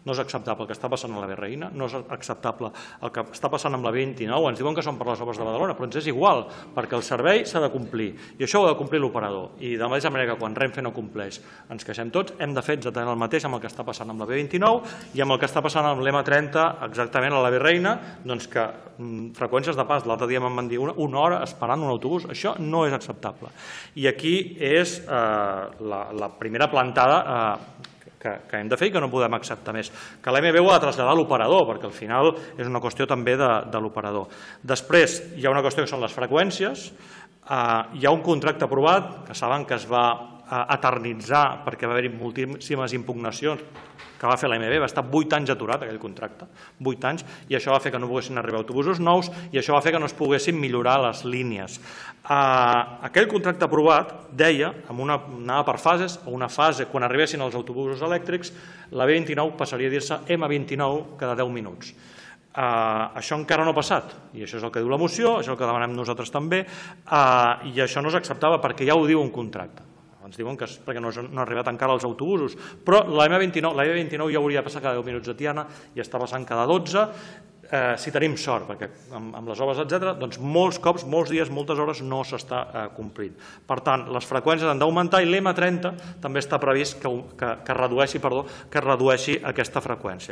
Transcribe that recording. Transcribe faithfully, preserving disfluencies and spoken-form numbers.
no és acceptable el que està passant a la B Reina, no és acceptable el que està passant amb la B vint-i-nou, ens diuen que són per les obres de Badalona, però ens és igual, perquè el servei s'ha de complir, i això ho ha de complir l'operador, i de la mateixa manera que quan Renfe no compleix ens queixem tots, hem de fer exactament el mateix amb el que està passant amb la B vint-i-nou i amb el que està passant amb l'M trenta, exactament a la B Reina, doncs que freqüències de pas, l'altre dia me'n van dir una hora esperant un autobús, això no és acceptable. I aquí és la primera plantada que hem de fer i que no podem acceptar més. Que l'A M B ho ha de traslladar a l'operador, perquè al final és una qüestió també de l'operador. Després hi ha una qüestió que són les freqüències. Hi ha un contracte aprovat, que saben que es va eternitzar perquè va haver-hi moltíssimes impugnacions que va fer l'A M B, va estar vuit anys aturat aquell contracte, vuit anys, i això va fer que no poguessin arribar autobusos nous i això va fer que no es poguessin millorar les línies. Aquell contracte aprovat deia, anava per fases, a una fase, quan arribessin els autobusos elèctrics, la B vint-i-nou passaria a dir-se M vint-i-nou cada deu minuts. Això encara no ha passat, i això és el que diu la moció, això és el que demanem nosaltres també, i això no és acceptable perquè ja ho diu un contracte. Ens diuen que és perquè no han arribat encara els autobusos, però la B vint-i-nou ja hauria de passar cada deu minuts a Tiana i està passant cada dotze, si tenim sort, perquè amb les obres, etcètera, doncs molts cops, molts dies, moltes hores no s'està complint. Per tant, les freqüències han d'augmentar i l'M trenta també està previst que redueixi aquesta freqüència.